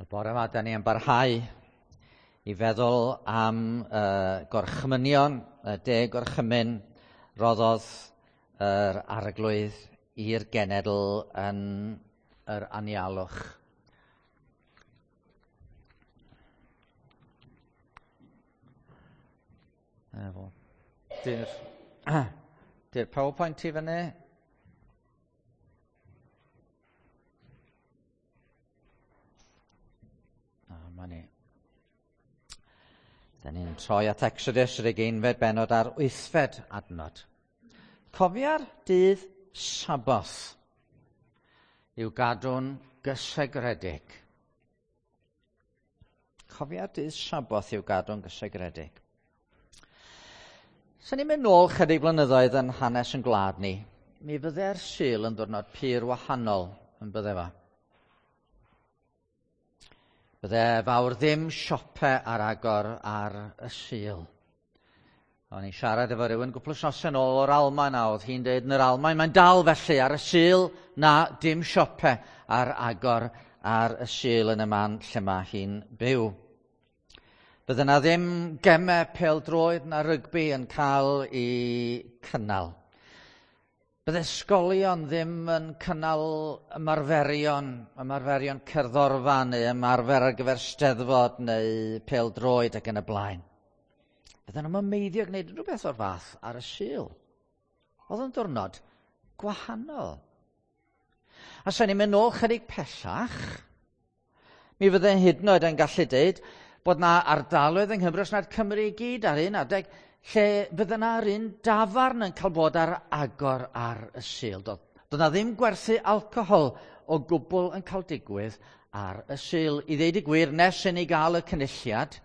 Y bore yma, da ni yn barhau i feddwl am gorchmynion, y deg gorchymyn roddodd yr arglwydd i'r genedl yn yr anialwch. Efo. Di'r di PowerPoint i fyny? Dyma ni. Da ni'n troi at Exodus yr ugeinfed bennod a'r wythfed adnod. Cofia'r dydd Saboth i'w gadw'n gysegredig. Cofia'r dydd Saboth i'w gadw'n gysegredig. Sa ni'n mynd nôl chydig blynyddoedd yn hanes yn gwlad ni, mi fydde'r Sul yn ddwrnod pur wahanol yn bydde fo. Bydde fawr ddim siope ar agor ar y Sul. O'n i'n siarad efo rhywun gwpl wythnosau yn ôl o'r Almaen a oedd hi'n dweud yn yr Almaen mae'n dal felly ar y Sul na dim siope ar agor ar y Sul yn y man lle mae hi'n byw. Bydde na ddim gemau pêl-droed na rygbi yn cael eu cynnal. Bydde ysgolion ddim yn cynnal ymarferion, ymarferion cerddorfa neu ymarfer ar gyfer steddfod neu pêl-droed ac yn y blaen. Bydden nhw'n meiddio gwneud rhywbeth o'r fath ar y Sul. Oedd yn diwrnod gwahanol. A sa'n ni'n mynd nôl chydig pellach, mi fydden hyd yn oed yn gallu deud bod na ardaloedd yng Nghymru, os nad Cymru i gyd ar un adeg, lle fydde na yr un dafarn yn cael bod ar agor ar y Sul. Doedd, doedd na ddim gwerthu alcohol o gwbl yn cael digwydd ar y Sul. I ddeud y gwir, nes i ni gael y cynulliad,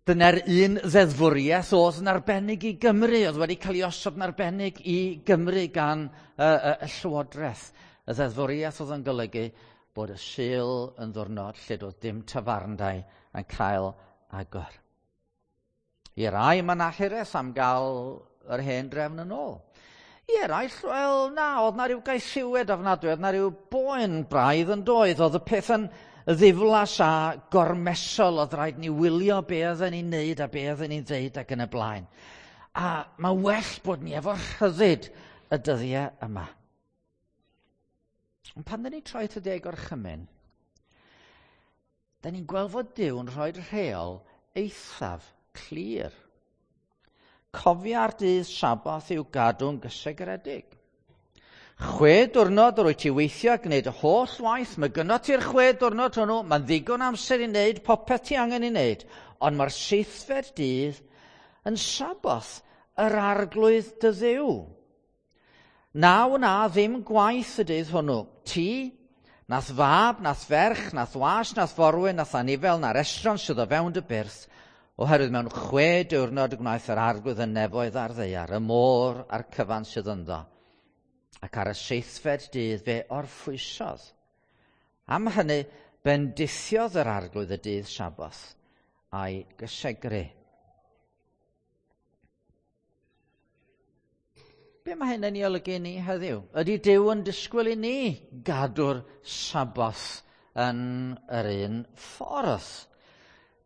dyna'r un ddeddfwriaeth oedd yn arbennig i Gymru, oedd wedi cael ei osod yn arbennig i Gymru gan y, y, y Llywodraeth. Y ddeddfwriaeth oedd yn golygu bod y Sul yn ddwrnod lle doedd dim tafarndai yn cael agor. I rai mae 'na hiraeth am gael yr hen drefn yn ôl. I eraill, wel na, oedd na ryw gaethiwed ofnadwy, oedd na ryw boen braidd yn doedd, oedd y peth yn ddiflas a gormesol, oedd rhaid ni wylio be oedden ni'n neud a be oedden ni'n ddeud ac yn y blaen. A mae well bod ni efo rhyddid y dyddiau yma. Ond pan dyn ni'n troi at y deg orchymyn, da ni'n gweld fod Duw yn rhoi rheol eithaf clir. Cofia'r dydd Saboth i'w gadw'n gysegredig. 6 diwrnod yr wyt ti weithio a gwneud y holl waith, mae gynno ti'r 6 diwrnod hwnnw, mae'n ddigon amser i wneud popeth ti angen i wneud, ond mae'r seithfed dydd yn Saboth yr Arglwydd dy Dduw. Na wna ddim gwaith y dydd hwnnw. Ti, nath fab, nath ferch, nath was, nath forwyn, nath anifel, na'r estron sydd o fewn dy byrth, oherwydd mewn 6 diwrnod y gwnaeth yr Arglwydd y nefoedd a'r ddaear, y môr a'r cyfan sydd ynddo. Ac ar y seithfed dydd fe orffwysodd. Am hynny, bendithiodd yr Arglwydd y dydd Saboth a'i gysegru. Be mae hyn yn ei olygu i ni heddiw? Ydy Duw yn disgwyl i ni gadw'r Saboth yn yr un ffordd?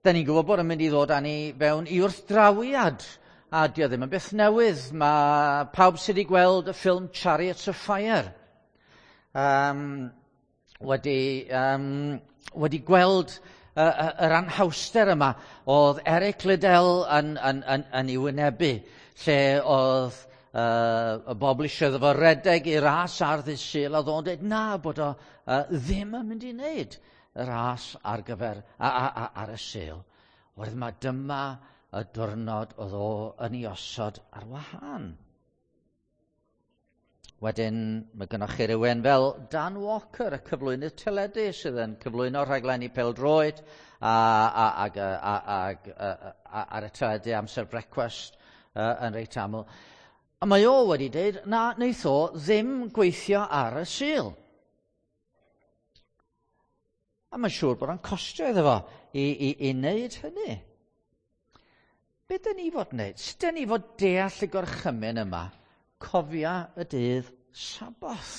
Da ni'n gwybod bod yn mynd i ddod â ni fewn i wrthdrawiad, a dio ddim yn beth newydd. Mae pawb sydd wedi gweld y ffilm Chariots of Fire wedi, wedi gweld yr anhawster yma oedd Eric Liddell yn, yn, yn, yn ei wynebu, lle oedd y bobl eisiau iddo fo redeg i ras ar ddydd Sul, a oedd o'n dweud na, bod o ddim yn mynd i wneud y ras ar gyfer a, a, a, ar y Sul. Oherwydd mae dyma y diwrnod oedd o yn ei osod ar wahân. Wedyn, mae gynnwch chi rhywun fel Dan Walker, y cyflwynydd teledu, sydd yn cyflwyno rhaglenni pêl-droed a, a, ag, a, a, a, a, ar y teledu amser brecwast yn reit aml. A mae o wedi dweud, na, wneith o ddim gweithio ar y Sul. A mae'n siŵr bod o'n costio iddo fo i, i, i wneud hynny. Be dyn ni fod wneud? Sut dyn ni fod deall y gorchymyn yma? Cofia y dydd Saboth.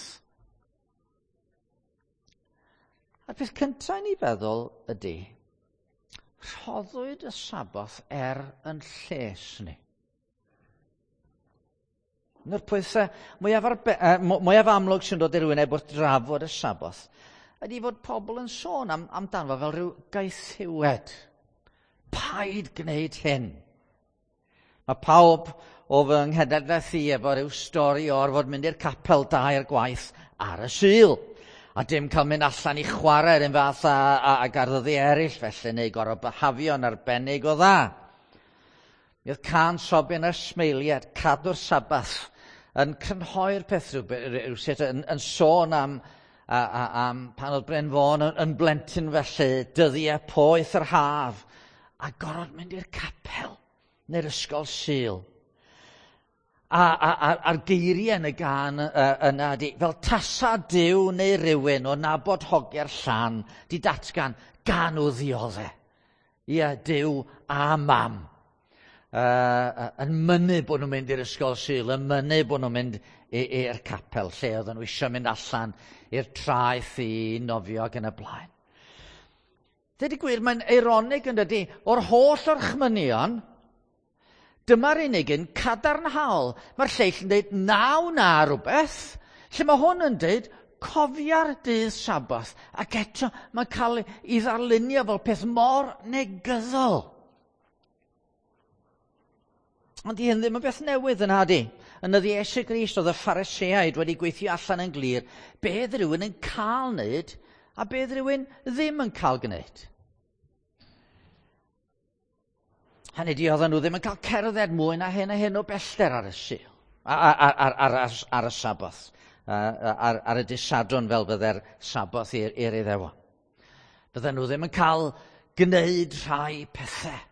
A'r peth cyntaf i ni feddwl ydy, rhoddwyd y Saboth er yn lles ni. Un o'r pethau mwyaf amlwg sy'n dod i'r wyneb wrth drafod y Saboth ydy fod pobl yn sôn amdano fel rhyw gaethiwed. Paid gwneud hyn. Mae pawb o fy nghenhedlaeth i efo rhyw stori o orfod mynd i'r capel dair gwaith ar y Sul. A dim cael mynd allan i chwarae yr un fath ag ar ddyddiau eraill felly, neu gorfod byhafio'n arbennig o dda. Mi oedd cân Sobin a'r Smeiliad, Cadw'r Sabath, yn crynhoi'r peth rhywsut, yn sôn am pan oedd Bryn Fôn yn blentyn felly, dyddiau poeth yr haf, a gorfod mynd i'r capel neu'r ysgol Sul. A'r geiriau yn y gân yna ydi, fel tasa Duw neu rywun o nabod hogiau'r llan, di datgan, gan nhw ddiodde. Ie, Duw a mam. Yn mynnu bod nhw'n mynd i'r ysgol Sul, yn mynnu bod nhw'n mynd i'r capel, lle oedden nhw eisiau mynd allan i'r traeth i nofio ac yn y blaen. Dweud y gwir, mae'n eironig yn dydi, o'r holl orchmynion, dyma'r unig un cadarnhaol. Mae'r lleill yn dweud naw na rhywbeth, lle mae hwn yn dweud cofia'r dydd Saboth, ac eto mae'n cael ei ddarlunio fel peth mor negyddol. Ond di hyn ddim yn beth newydd yn hadi. Yn nyddiau Iesu Grist oedd y Phariseaid wedi gweithio allan yn glir beth rhywun yn cael wneud a beth rhywun ddim yn cael gwneud. Hynny di, oedden nhw ddim yn cael cerdded mwy na hyn a hyn o bellter ar y Sul, ar y Saboth, ar y dydd Sadwrn fel fydde'r Saboth i'r Iddewon. Bydden nhw ddim yn cael gwneud rhai pethau.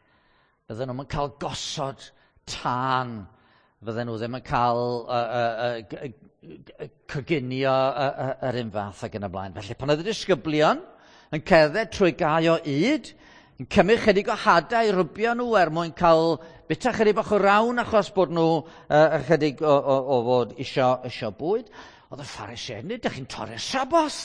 Bydden nhw'n cael gosod tân. Fydden nhw ddim yn cael coginio yr un fath ac yn y blaen. Felly pan oedd y disgyblion yn cerdded trwy gae o ŷd, yn cymryd chydig o hadau i rwbio nhw er mwyn cael bita chydig bach o rawn achos bod nhw ychydig o fod isio bwyd, oedd y Phariseaid yn dweud, dych chi'n torri'r Saboth.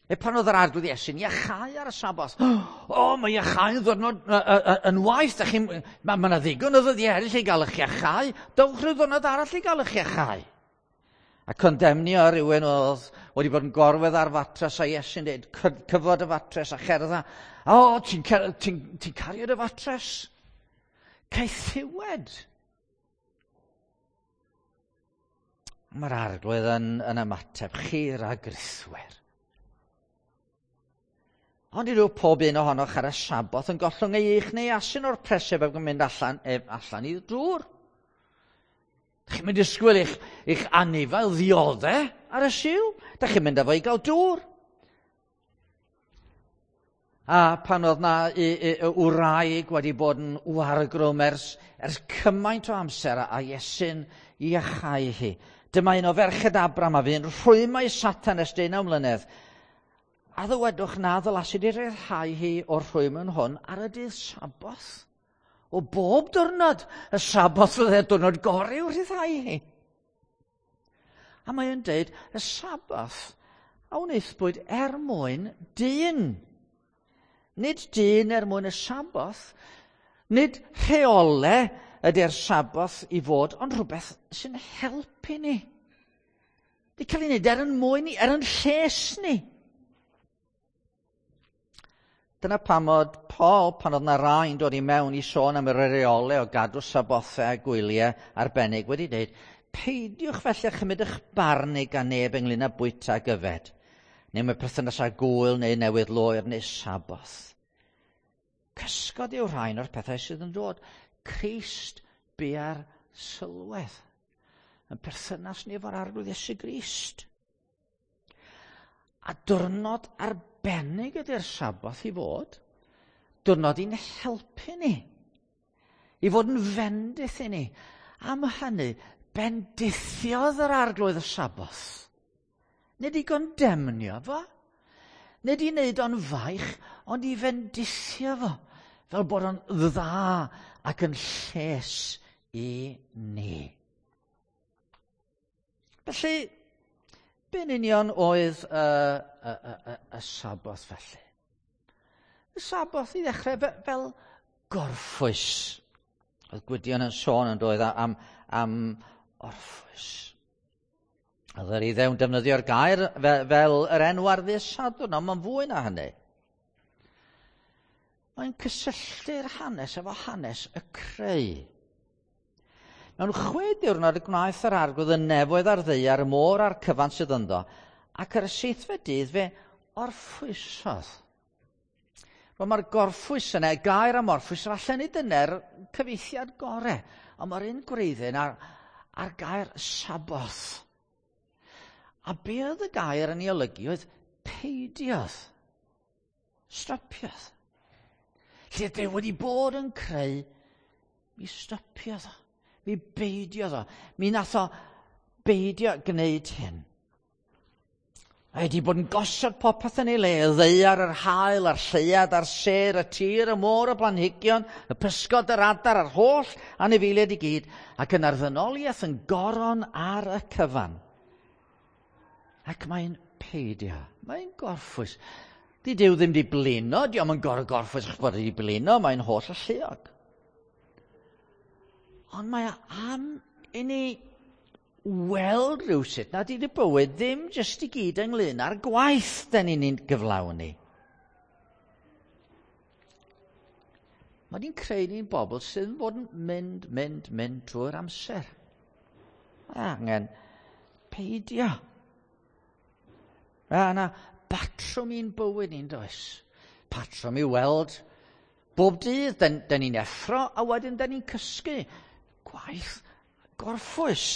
E pan oedd yr Arglwydd Iesu'n iachau ar y Saboth, o, mae iachau yn ddwrnod yn waith, mae yna ddigon o ddyddiau eraill i gael eich iachau, dowch rhyw ddwrnod arall i gael eich iachau. A condemnio rhywun oedd wedi bod yn gorwedd ar fatres a Iesu'n dweud, cyfod y fatres a cherdda. O, ti'n cario dy fatres? Caethiwed. Mae'r Arglwydd yn ymateb, chi ragrithwyr. Ond i ryw pob un ohonoch ar y Saboth yn gollwng ei eich neu asyn o'r preseb ac yn mynd allan i'r dŵr. Dych chi'n mynd disgwyl eich anifail ddiodde ar y Sul? Dych chi'n mynd â fo i gael dŵr. A pan oedd na wraig wedi bod yn wargrwm ers cymaint o amser a Iesu'n iachau hi. Dyma un o ferched Abram a fu'n rhwymau Satan ers 19 mlynedd. A ddywedwch na ddylasid i ryddhau hi o'r rhwymyn hwn ar y dydd Saboth. O bob diwrnod, y Saboth fydde'r diwrnod gorau i'w rhyddhau hi. A mae o'n dweud, y Saboth a wnaethpwyd er mwyn dyn. Nid dyn er mwyn y Saboth, nid rheolau ydy'r Saboth i fod, ond rhywbeth sy'n helpu ni. Di cael ei wneud er yn mwyn ni, er yn lles ni. Dyna pam oedd Paul, pan oedd na rai'n dod i mewn i sôn am yr reolau o gadw sabothau a gwyliau arbennig, wedi dweud, peidiwch felly â chymryd eich barn gan neb ynglyn â bwyta ac yfed, neu mae perthynas â gwyl neu newydd loer neu Saboth. Cysgod yw rhain o'r pethau sydd yn dod. Crist bia'r sylwedd. Yn perthynas ni efo'r Arglwydd Iesu Grist. A diwrnod arbennig ydy'r Saboth i fod. Diwrnod i'n helpu ni. I fod yn fendith i ni. Am hynny, bendithiodd yr Arglwydd y Saboth. Nid i gondemnio fo. Nid i wneud o'n faich, ond i fendithio fo. Fel bod o'n dda ac yn lles i ni. Felly, Be'n union oedd y, y, y, y, y Saboth felly? Y Saboth i ddechrau fel gorffwys. Oedd Gwydion yn sôn yn doedd am orffwys. Oedd yr Iddew'n defnyddio'r gair fel yr enw ar ddydd Sadwrn, ond mae'n fwy na hynny. Mae'n cysylltu'r hanes efo hanes y creu. Mewn 6 diwrnod y gwnaeth yr Arglwydd y nefoedd a'r ddaear, y môr a'r cyfan sydd ynddo, ac ar y seithfed dydd fe orffwysodd. Wel, mae'r gorffwys yna, y gair am orffwys, falle nid dyna'r cyfieithiad gore, ond mae'r un gwreiddyn ar gair Saboth. A be oedd y gair yn ei olygu oedd peidiodd, stopiodd. Lle Duw wedi bod yn creu, mi stopiodd o, mi beidiodd o, mi nath o beidio gwneud hyn. Mae wedi bod yn gosod popeth yn ei le, y ddaear, yr haul, a'r lleuad, a'r sêr, y tir, y môr, y blanhigion, y pysgod, yr adar, a'r holl anifeiliaid i gyd, ac yna'r ddynoliaeth yn goron ar y cyfan. Ac mae'n peidio, mae'n gorffwys. Di Duw ddim di blino, di o'm yn gorfod gorffwys achos bod wedi blino, mae'n holl alluog. Ond mae am i ni weld rhywsut nad ydy bywyd ddim jyst i gyd ynglyn â'r gwaith da ni'n gyflawni. Mae di'n creu ni'n bobl sydd yn bod yn mynd, mynd, mynd trwy'r amser. Mae angen peidio. Mae yna batrwm i'n bywyd ni'n does. Patrwm i weld bob dydd. Da ni'n effro a wedyn da ni'n cysgu. Gwaith gorffwys.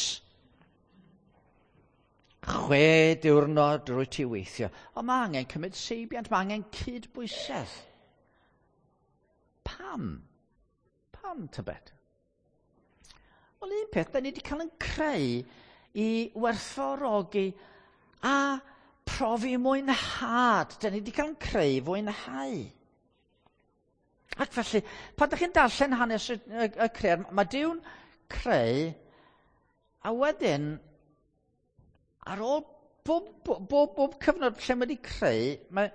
6 diwrnod rwy ti weithio. Ond mae angen cymryd seibiant, mae angen cydbwysedd. Pam? Pam, tybed? Wel, un peth, da ni wedi cael yn creu i werthfawrogi a profi mwynhad. Da ni wedi cael yn creu fwynhau. Ac felly, pan ydych chi'n darllen hanes y creu, mae Duw'n creu, a wedyn, ar ôl bob cyfnod lle mae wedi creu, mae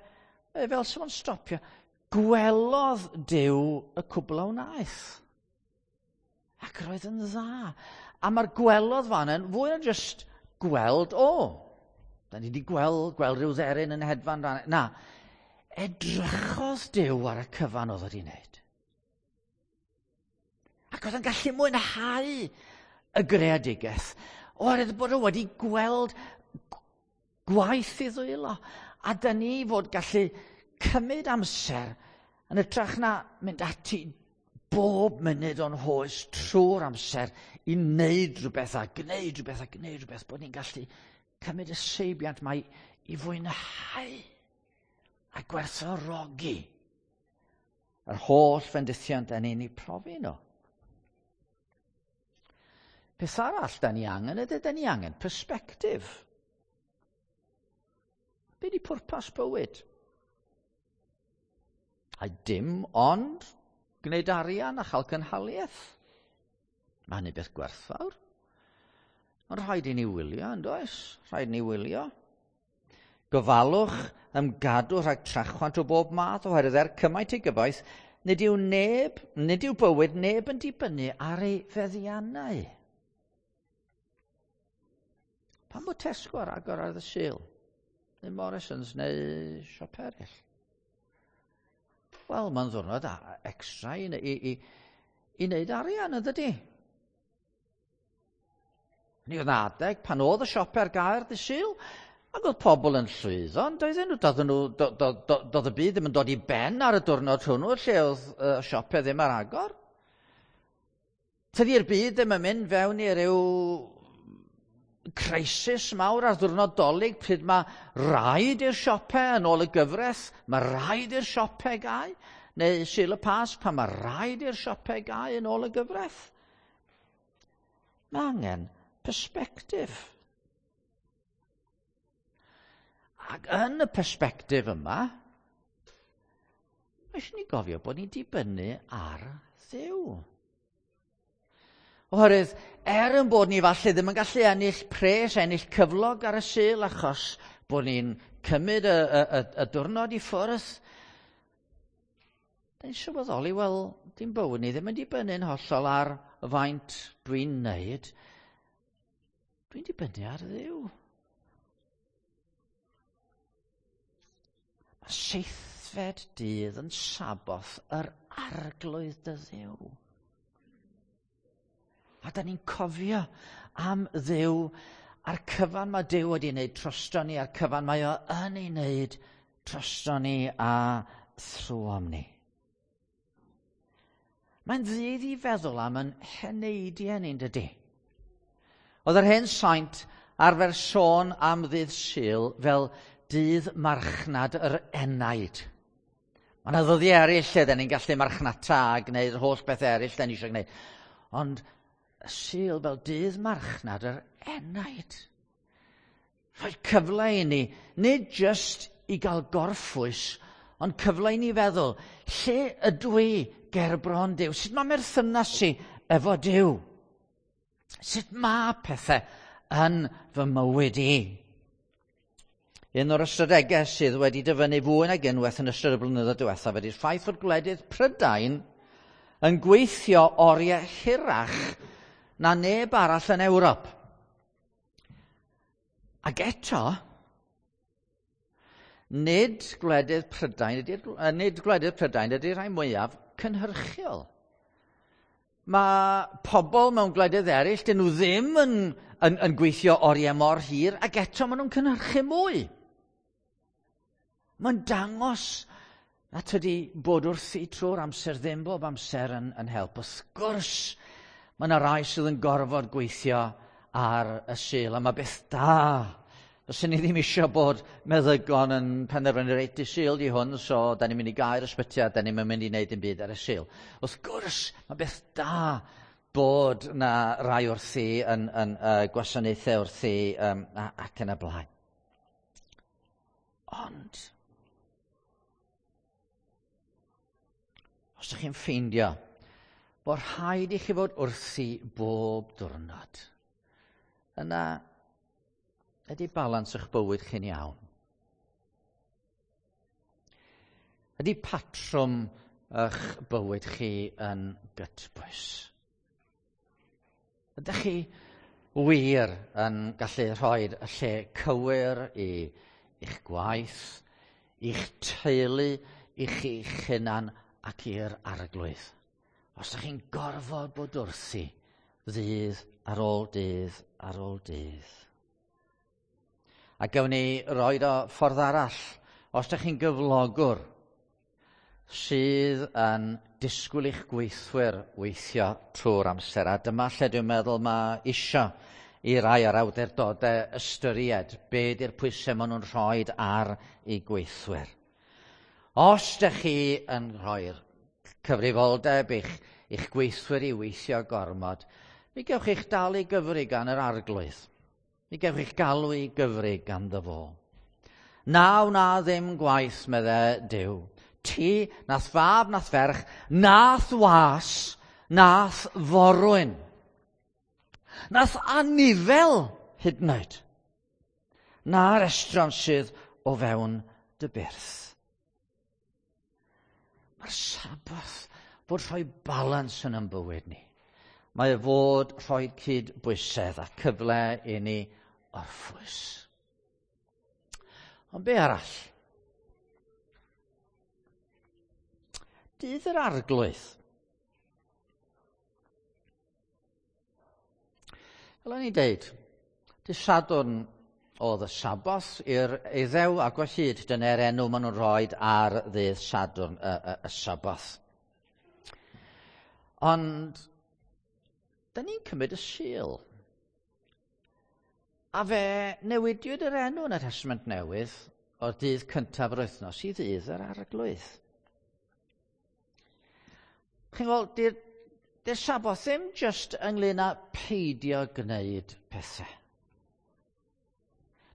fel sy'n fo'n stopio, gwelodd Duw y cwbl a wnaeth. Ac roedd yn dda. A mae'r gwelodd fan yn fwy na just gweld, o, da ni wedi gweld rhyw dderyn yn hedfan. Na, edrychodd Duw ar y cyfan oedd wedi wneud. Ac oedd yn gallu mwynhau y greadigaeth, oherwydd bod o wedi gweld gwaith i ddwylo. A da ni fod gallu cymryd amser yn hytrach na mynd ati bob munud o'n hoes trwy'r amser i wneud rhywbeth a gwneud rhywbeth a gwneud rhywbeth, bod ni'n gallu cymryd y seibiant mae i fwynhau a gwerthfawrogi yr holl fendithion da ni'n ei profi nhw. Peth arall da ni angen ydy, da ni angen perspectif. Be di pwrpas bywyd? A dim ond gwneud arian a chael cynhaliaeth. Mae hynny beth gwerthfawr. Ond rhaid i ni wylio, yn does? Rhaid i ni wylio. Gofalwch ymgadw rhag trachwant o bob math, oherwydd er cymaint ei gyfoeth, nid yw bywyd neb yn dibynnu ar ei feddiannau. Pam bod Tesco ar agor ar y Sul? Neu Morrisons neu siop eraill? Wel, mae'n ddwrnod extra i wneud arian, yn dydi? Ni oedd adeg pan oedd y siop ar gael dydd Sul, ac oedd pobl yn llwyddo, ond doedden nhw, doedd y byd ddim yn dod i ben ar y diwrnod hwnnw, lle oedd y siopau ddim ar agor. Tydi'r byd ddim yn mynd fewn i ryw crisis mawr ar ddiwrnod Dolig, pryd mae rhaid i'r siopau yn ôl y gyfraith, mae rhaid i'r siopau gau, neu Sul y Pasg pan mae rhaid i'r siopau gau yn ôl y gyfraith. Mae angen perspectif. Ac yn y perspectif yma, mae eisiau ni gofio bod ni'n dibynnu ar Dduw. Oherwydd, er yn bod ni falle ddim yn gallu ennill pres, ennill cyflog ar y Sul, achos bod ni'n cymryd y diwrnod i ffwrdd, da ni'n sylweddoli, wel, dim bywyd ni ddim yn dibynnu'n hollol ar faint dwi'n neud. Dwi'n dibynnu ar Dduw. Mae seithfed dydd yn Saboth yr Arglwydd dy Dduw. A da ni'n cofio am Dduw a'r cyfan mae Duw wedi wneud drosto ni, a'r cyfan mae o yn ei wneud drosto ni a thrwom ni. Mae'n ddydd i feddwl am yn heneidiau ni'n dydy. Oedd yr hen saint arfer sôn am ddydd Sul fel dydd marchnad yr enaid. Mae yna ddyddiau eraill lle da ni'n gallu marchnata a gwneud yr holl beth eraill da ni eisiau gwneud. Ond y Sul fel dydd marchnad yr enaid. Rhoi cyfle i ni, nid jyst i gael gorffwys, ond cyfle i ni feddwl, lle ydw i gerbron Duw? Sut mae merthynas i efo Duw? Sut mae pethau yn fy mywyd i? Un o'r ystadegau sydd wedi dyfynnu fwy nag unwaith yn ystod y blynyddoedd diwethaf ydy'r ffaith fod gwledydd Prydain yn gweithio oriau hirach na neb arall yn Ewrop. Ac eto, nid gwledydd Prydain ydy'r, nid gwledydd Prydain ydy'r rhai mwyaf cynhyrchiol. Mae pobl mewn gwledydd eraill, dyn nhw ddim yn gweithio oriau mor hir, ac eto maen nhw'n cynhyrchu mwy. Mae'n dangos na tydi bod wrthi trwy'r amser ddim bob amser yn help. Wrth gwrs, mae yna rai sydd yn gorfod gweithio ar y Sul, a mae beth da. Fyswn ni ddim eisiau bod meddygon yn penderfynu reit i Sul di hwn, so da ni'n mynd i gau'r ysbyty a da ni'n mynd i wneud dim byd ar y Sul. Wrth gwrs, mae beth da bod na rai wrthi yn gwasanaethau wrthi ac yn y blaen. Ond, os ydych chi'n ffeindio bod rhaid i chi fod wrthi bob diwrnod, yna ydy balans eich bywyd chi'n iawn? Ydy patrwm eich bywyd chi yn gytbwys? Ydych chi wir yn gallu rhoi y lle cywir i'ch gwaith, i'ch teulu, i chi'ch hunan ac i'r Arglwydd? Os ydych chi'n gorfod bod wrthi ddydd ar ôl dydd ar ôl dydd. A gawn ni roed o ffordd arall. Os ydych chi'n gyflogwr sydd yn disgwyl i'ch gweithwyr weithio trwy'r amser, a dyma lle dwi'n meddwl mae isio i rai o'r awdurdodau ystyried be di'r pwysau maen nhw'n rhoi ar eu gweithwyr. Os ydych chi yn rhoi'r cyfrifoldeb i'ch gweithwyr i weithio gormod, mi gewch chi'ch dal i gyfri gan yr Arglwydd. Mi gewch chi'ch galw i gyfri ganddo fo. Na wna ddim gwaith, medde Duw. Ti, nath fab, nath ferch, nath was, nath forwyn. Nath anifel hyd yn oed. Na'r estron sydd o fewn dy byrth. Mae'r Saboth fod rhoi balans yn ein bywyd ni. Mae fod rhoi cydbwysedd a cyfle i ni orffwys. Ond be arall? Dydd yr Arglwydd. Fel o'n i'n deud, dydd Sadwrn oedd y Saboth i'r Iddew ac o hyd dyna'r enw maen nhw'n rhoi ar ddydd Sadwrn y Saboth. Ond, da ni'n cymryd y Sul. A fe newidiwyd yr enw yn y Testament Newydd o'r dydd cyntaf yr wythnos i ddydd yr Arglwydd. Chi'n gweld, di'r Saboth ddim jyst ynglyn â peidio gwneud pethau.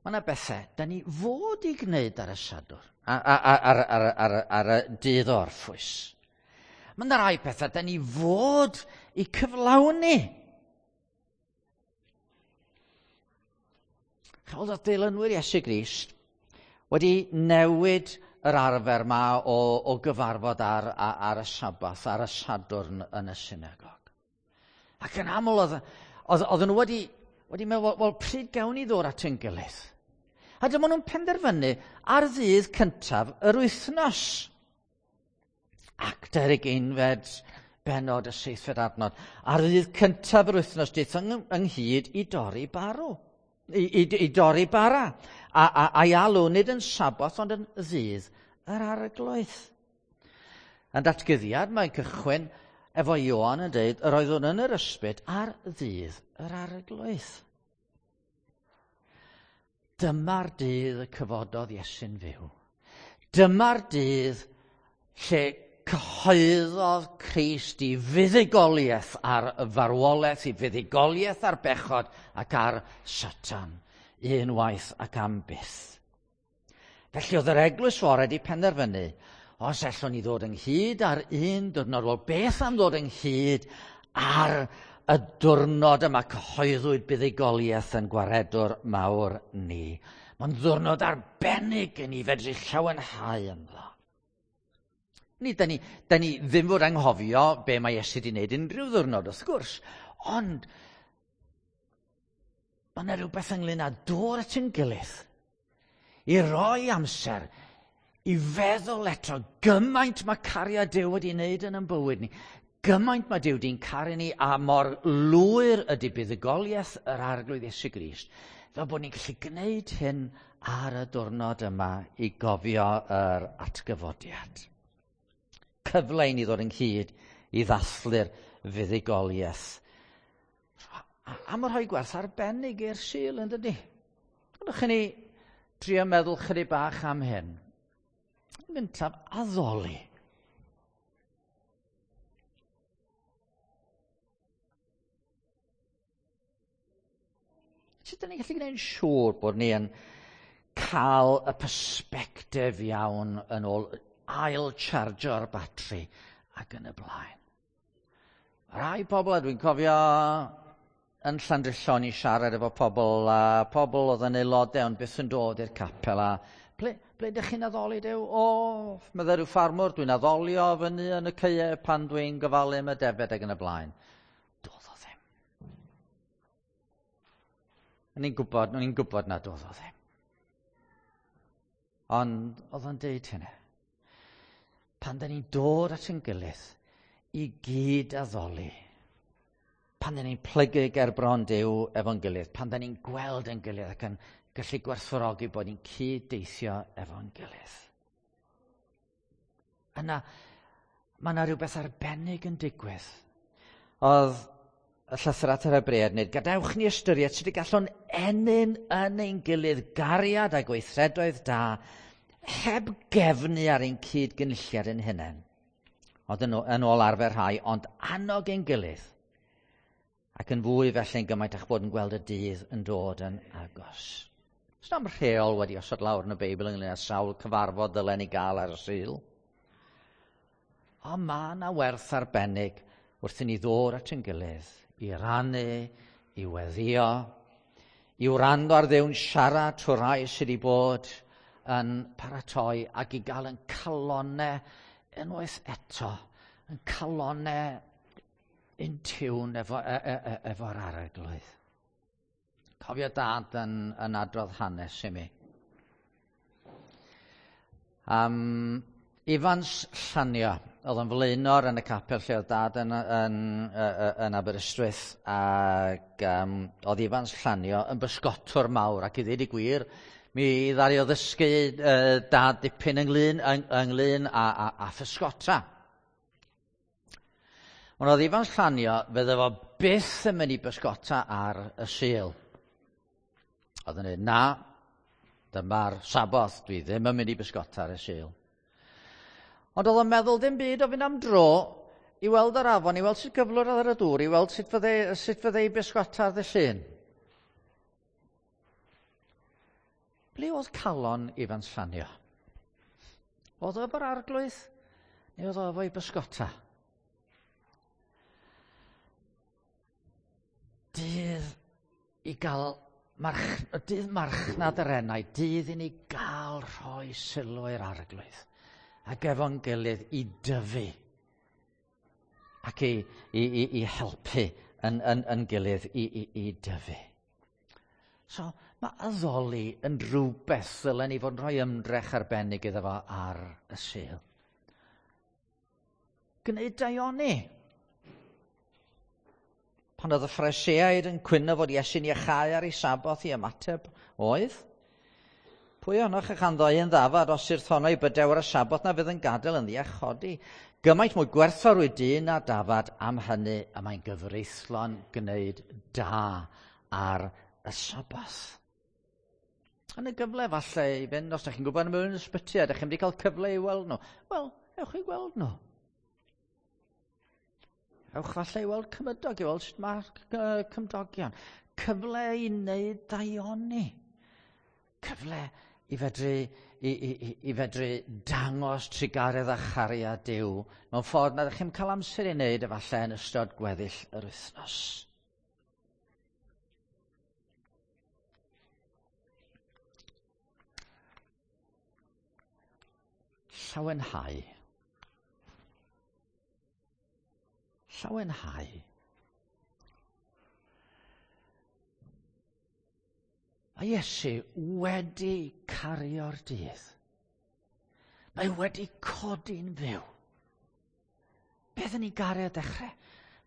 Mae yna bethau da ni fod i gwneud ar y Sadwrn, ar y dydd orffwys. Mae yna rai pethau da ni fod i cyflawni. Chawod oedd dilynwyr Iesu Grist wedi newid yr arfer ma o gyfarfod ar y Sabath, ar y Sadwrn yn y synagog. Ac yn aml oedd nhw wedi meddwl, wel, pryd gawn ni ddod at ein gilydd? A dyma nhw'n penderfynu ar ddydd cyntaf yr wythnos. Actau'r ugeinfed bennod y seithfed adnod. Ar ddydd cyntaf yr wythnos daethon ynghyd i dorri barw. I dorri bara. A'i alw nid yn Saboth ond yn ddydd yr Arglwydd. Yn datguddiad mae'n cychwyn efo Ioan yn dweud yr oeddwn yn yr ysbryd ar ddydd yr Arglwydd. Dyma'r dydd y cyfododd Iesu'n fyw. Dyma'r dydd lle cyhoeddodd Crist i fuddugoliaeth ar y farwolaeth, i fuddugoliaeth ar bechod ac ar Satan, unwaith ac am byth. Felly oedd yr eglwys fore wedi penderfynu, os allwn ni ddod ynghyd ar un diwrnod, wel beth am ddod ynghyd ar y diwrnod yma cyhoeddwyd buddugoliaeth yn gwaredwr mawr ni. Mae'n ddiwrnod arbennig i ni fedru llawenhau ynddo. Ni, da ni ddim fod anghofio be mae Iesu wedi wneud unrhyw ddiwrnod, wrth gwrs, ond mae yna rhywbeth ynglyn â dod at ein gilydd i roi amser i feddwl eto gymaint mae cariad Duw wedi wneud yn ein bywyd ni, gymaint mae Duw wedi'n caru ni a mor lwyr ydy buddugoliaeth yr Arglwydd Iesu Grist, fel bod ni'n gallu gwneud hyn ar y diwrnod yma i gofio yr atgyfodiad. Cyfle i ni ddod ynghyd i ddathlu'r fuddugoliaeth. A mae rhoi gwerth arbennig i'r Sul, yn dydy? Ydych chi ni drio meddwl chydig bach am hyn? Yn gyntaf, addoli. Sut ydyn ni'n gallu gwneud yn siŵr bod ni yn cael y persbectif iawn yn ôl ail chargio'r batri ac yn y blaen. Rai pobl, a dwi'n cofio yn Llandrillo ni siarad efo pobl, a pobl oedd yn aelodau ond byth yn dod i'r capel, a ble ydych chi'n addoli Duw? O, meddai rhyw ffarmwr, dwi'n addolio fyny yn y caeau pan dwi'n gofalu am y defaid ac yn y blaen. Doedd o ddim. O'n i'n gwybod na doedd o ddim. Ond oedd o'n deud hynny. Pan da ni'n dod at ein gilydd i gyd addoli, pan da ni'n plygu ger bron Duw efo'n gilydd, pan da ni'n gweld ein gilydd ac yn gallu gwerthfawrogi bod ni'n cyd-deithio efo'n gilydd. Yna, mae yna rhywbeth arbennig yn digwydd. Oedd y llythyr at yr Hebreaid nid, gadewch ni ystyried sut y gallwn ennyn yn ein gilydd gariad a gweithredoedd da heb gefnu ar ein cyd-gynulliad ein hunain. Ond yn ôl arfer rhai, ond annog ein gilydd. Ac yn fwy felly'n gymaint a'ch bod yn gweld y dydd yn dod yn agos. Oes na'm rheol wedi osod lawr yn y Beibl ynglyn â sawl cyfarfod ddylen ni gael ar y Sul. Ond mae yna werth arbennig wrth i ni ddod at ein gilydd, i rannu, i weddio, i wrando ar Dduw'n siarad trwy rai sydd wedi bod yn paratoi ac i gael yn calonau unwaith eto, yn calonau in tune efo'r Arglwydd. Cofio dad yn adrodd hanes i mi. Ifans Llanio, oedd yn flaenor yn y capel lle oedd dad yn Aberystwyth, ac oedd Ifans Llanio yn bysgotwr mawr, ac i ddweud y gwir, mi ddaru o ddysgu dad dipyn ynglyn â physgota. Ond oedd Ifans Llanio, fydde fo byth yn mynd i bysgota ar y Sul. Oedd yn dweud, na, dyma'r Saboth, dwi ddim yn mynd i bysgota ar y Sul. Ond oedd o'n meddwl dim byd o fynd am dro i weld yr afon, i weld sut gyflwr oedd ar y dŵr, i weld sut fydde i bysgota ar ddydd Llun. Ble oedd calon Ifans Llanio? Oedd o efo'r Arglwydd neu oedd o efo'i bysgota? Dydd i gael march, dydd marchnad yr enau, dydd i ni gael rhoi sylw i'r arglwydd ac efo'n gilydd i dyfu ac i, i, i, i helpu yn, yn, yn gilydd i, i, i dyfu. So, mae addoli yn rhywbeth ddylen ni fod yn rhoi ymdrech arbennig iddo fo ar y Sul. Gwneud daioni. Pan oedd y Phariseaid yn cwyno fod Iesu'n iachau ar ei Saboth i ymateb oedd, Pwy ohonoch a chanddo un ddafad os yw'r i bydew ar y Saboth na fydd yn gadael yn ddi a chodi? Gymaint mwy gwerthfawr yw dyn na dafad am hynny y mae'n gyfreithlon gwneud da ar y Saboth. Yn y gyfle falle i fynd, os ydych chi'n gwybod mewn ysbyty a ydych chi'n wedi cael cyfle i weld nhw, wel, ewch i gweld nhw. Ewch falle i weld cymydog, i weld sut mae cymdogion. Cyfle i wneud daioni. Cyfle i fedru, i, i, i, i fedru dangos trugaredd a chariad Duw mewn ffordd nad ydych chi'n cael amser i wneud efallai yn ystod gweddill yr wythnos. Llawenhau. Llawenhau. Mae Iesu wedi cario'r dydd. Mae wedi codi'n fyw. Beth yn ei garu ar dechrau?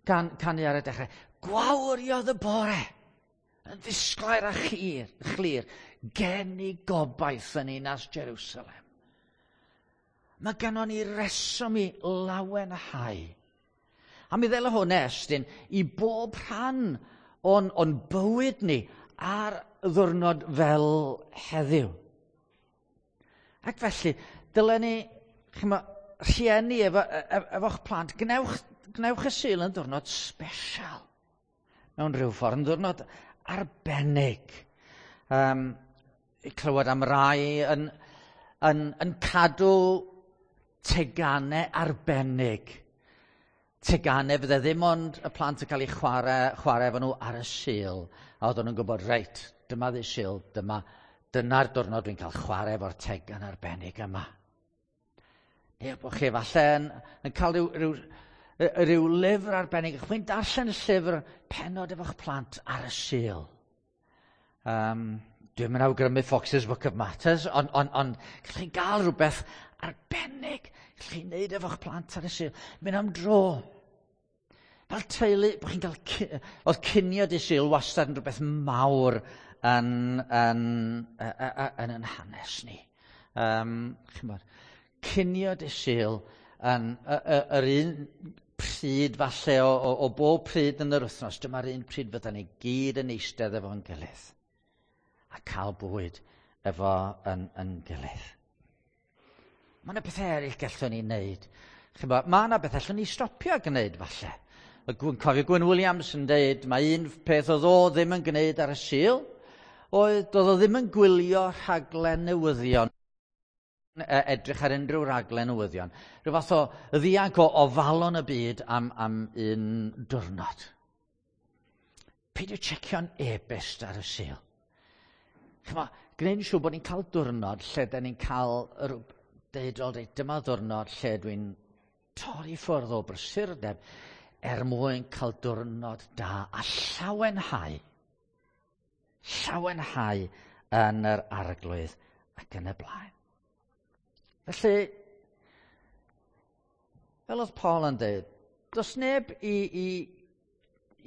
Gan, canu ar y dechrau. Gwawriodd y bore yn ddisglair a chlir, chlir gen i gobaith yn ninas Jerusalem. Mae gennon ni reswm i lawenhau. A mi ddela hwn estyn i bob rhan o'n, on bywyd ni ar ddwrnod fel heddiw. Ac felly, dylen ni, chyma, rhieni efo, e, e, efo'ch plant, gnewch, gnewch y Sul yn ddwrnod special. Mewn rhyw ffordd, yn ddwrnod arbennig. Um, clywed am rai yn, yn, yn cadw teganau arbennig. Teganau fydde ddim ond y plant yn cael eu chwarae, chwarae efo nhw ar y Sul. A oedden nhw'n gwybod, reit, dyma ddydd Sul, dyma, dyna'r diwrnod dwi'n cael chwarae efo'r tegan arbennig yma. Neu bod chi falle yn, yn cael rhyw, rhyw, rhyw lyfr arbennig. Chwi'n darllen y llyfr penod efo'ch plant ar y Sul. Um, Dwi'n mynd awgrymu Fox's Book of Matters, ond on, on, gallwch chi gael rhywbeth arbennig. Gallwch chi wneud efo'ch plant ar y Sul. Mynd am dro. Fel teulu, bod chi'n cael... Oedd cinio dydd Sul wastad yn rhywbeth mawr yn, yn, yn, yn, yn hanes ni. Um, chymod, cinio dydd Sul yn yr un pryd falle o, o, o bob pryd yn yr wythnos, dyma'r un pryd fydda ni gyd yn eistedd efo'n gilydd a cael bwyd efo yn, yn gilydd. Mae yna bethau eraill gallwn ni wneud. Chymod, mae yna bethau allwn ni stopio gwneud falle. Dwi'n cofio Gwyn Williams yn dweud, mae un peth oedd o ddim yn gwneud ar y Sul, oedd doedd o ddim yn gwylio rhaglen newyddion, edrych ar unrhyw raglen newyddion. Rhyw fath o ddianc o ofalon y byd am, am un diwrnod. Peidio checio'n e-byst ar y Sul. Chyma, gwneud yn siŵr bod ni'n cael diwrnod lle da ni'n cael yr, deud, o, deud, dyma ddiwrnod lle dwi'n torri ffwrdd o brysurdeb er mwyn cael diwrnod da a llawenhau. Llawenhau yn yr arglwydd ac yn y blaen. Felly, fel oedd Paul yn dweud, does neb i, i,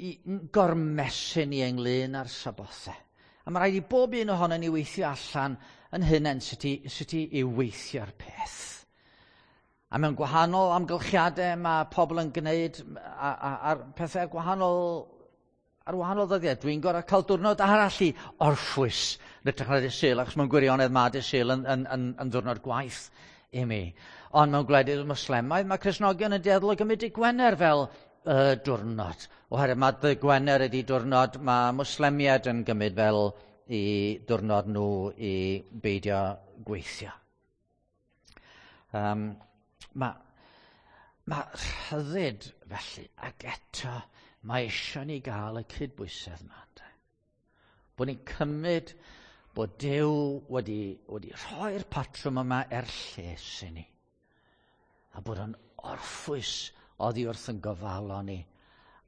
i gormesu ni ynglyn â'r sabothau. A mae rhaid i bob un ohono ni weithio allan yn hunain sut i, sut i, i weithio'r peth. A mewn gwahanol amgylchiadau mae pobl yn gwneud a'r pethau gwahanol ar wahanol ddyddiau. Dwi'n gorau cael diwrnod arall i orffwys yn hytrach na dydd Sul, achos mewn gwirionedd mae dydd Sul yn, yn, yn, yn ddiwrnod gwaith i mi. Ond mewn gwledydd Muslimaidd, mae Cristnogion yn dueddol o gymryd dydd Gwener fel y diwrnod. Oherwydd mae dydd Gwener ydy diwrnod mae Mwslemiaid yn gymryd fel i diwrnod nhw i beidio gweithio. Um, mae, mae rhyddid felly, ac eto mae eisiau ni gael y cydbwysedd yma. Bod ni'n cymryd bod Duw wedi rhoi'r patrwm yma er lles i ni. A bod o'n orffwys oddi wrth yn gofalon ni.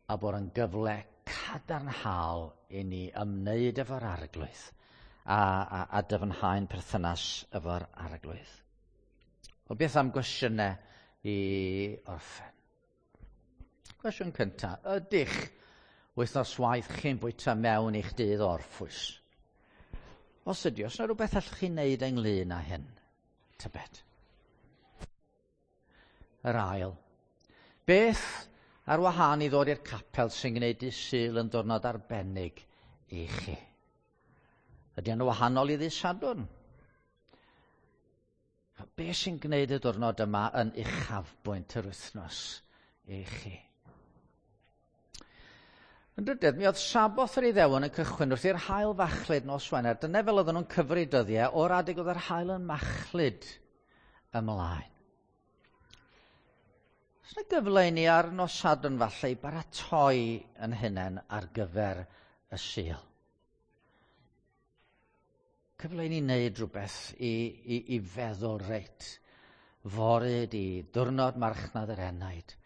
A bod o'n gyfle cadarnhaol i ni ymwneud efo'r Arglwydd a dyfnhau'n perthynas efo'r Arglwydd. Wel, beth am gwestiynau i orffen? Cwestiwn cyntaf, ydych wythnos waith chi'n bwyta mewn i'ch dydd orffwys? Os ydy, os yna rhywbeth allwch chi wneud ynglyn â hyn, tybed? Yr ail, beth ar wahân i ddod i'r capel sy'n gwneud dydd Sul yn diwrnod arbennig i chi? Ydy yn wahanol i ddydd Sadwrn? Be sy'n gwneud y diwrnod yma yn uchafbwynt yr wythnos i chi? Yn drydydd, mi oedd Saboth yr Iddewon yn cychwyn wrth i'r haul fachlud nos Wener. Dyna fel oedden nhw'n cyfri dyddiau o'r adeg oedd yr haul yn machlud ymlaen. Oes yna gyfle i ni ar nos Sadwrn falle i baratoi yn hunain ar gyfer y Sul? Cyfle i ni wneud rhywbeth i feddwl, reit, fory di diwrnod marchnad yr enaid.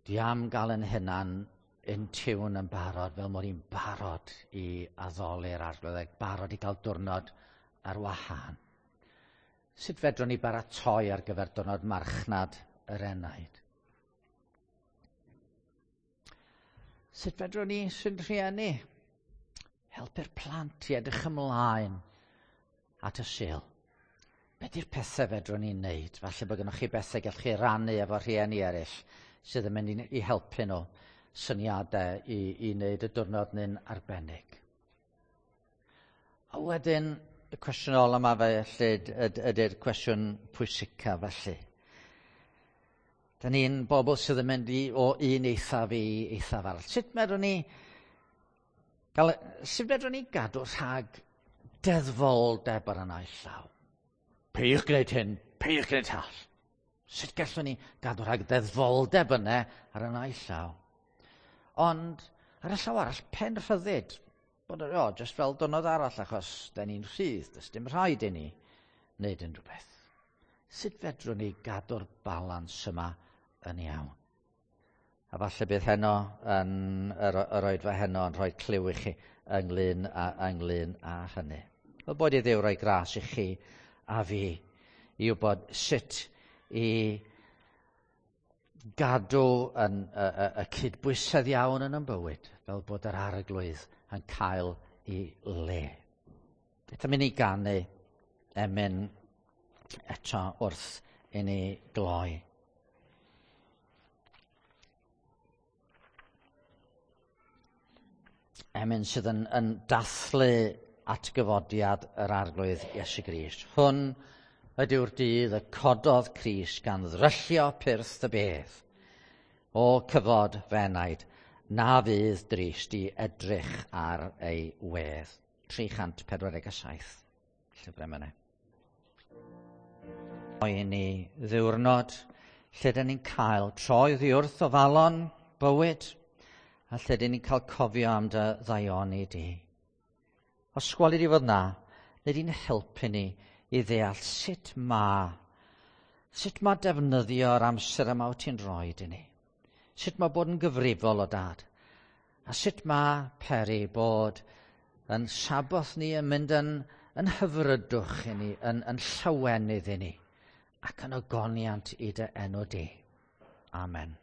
Dwi am gael yn hunan in tune yn barod, fel mod i'n barod i addoli'r Arglwydd, ac barod i gael diwrnod ar wahân. Sut fedrwn ni baratoi ar gyfer diwrnod marchnad yr enaid? Sut fedrwn ni sy'n rhieni helpu'r plant i edrych ymlaen at y Sul? Be di'r pethau fedrwn ni wneud? Falle bod gennych chi bethau gallwch chi rannu efo rhieni eraill sydd yn mynd i helpu nhw syniadau i wneud y diwrnod neu'n arbennig. A wedyn, y cwestiwn ola yma felly ydy'r cwestiwn pwysica felly. Da ni'n bobl sydd yn mynd o un eithaf i eithaf arall. Sut medrwn ni gadw rhag deddfoldeb ar y naill llaw? Peidiwch gwneud hyn, peidiwch gwneud llall. Sut gallwn ni gadw rhag deddfoldeb yna ar y naill llaw? Ond ar y llaw arall, pen rhyddid. Bod o, jyst fel diwrnod arall, achos da ni'n rhydd, does dim rhaid i ni wneud unrhyw beth. Sut fedrwn ni gadw'r balans yma yn iawn? A falle bydd heno yn yr oedfa heno yn rhoi clyw i chi ynglyn â hynny. Wel, bod i Dduw roi gras i chi a fi i wybod sut i gadw yn y cydbwysedd iawn yn ein bywyd, fel bod yr Arglwydd yn cael ei le. Beth am i ni ganu emyn eto wrth i ni gloi? Emyn sydd yn dathlu atgyfodiad yr Arglwydd Iesu Grist. Hwn ydyw'r dydd y cododd Crist gan ddryllio pyrth y bedd. O cyfod fy enaid, na fydd drist i edrych ar ei wedd. 347. Llyfrau Emynau. I ni ddiwrnod lle dyn ni'n cael troi oddi wrth ofalon bywyd a lle dyn ni'n cael cofio am dy ddaioni di. Os gweli di fod na, neu di'n helpu ni i ddeall sut mae defnyddio'r amser yma wyt ti'n rhoi i ni. Sut mae bod yn gyfrifol o dad. A sut mae peri bod yn Saboth ni yn mynd yn hyfrydwch i ni, yn llawenydd i ni, ac yn ogoniant i dy enw di. Amen.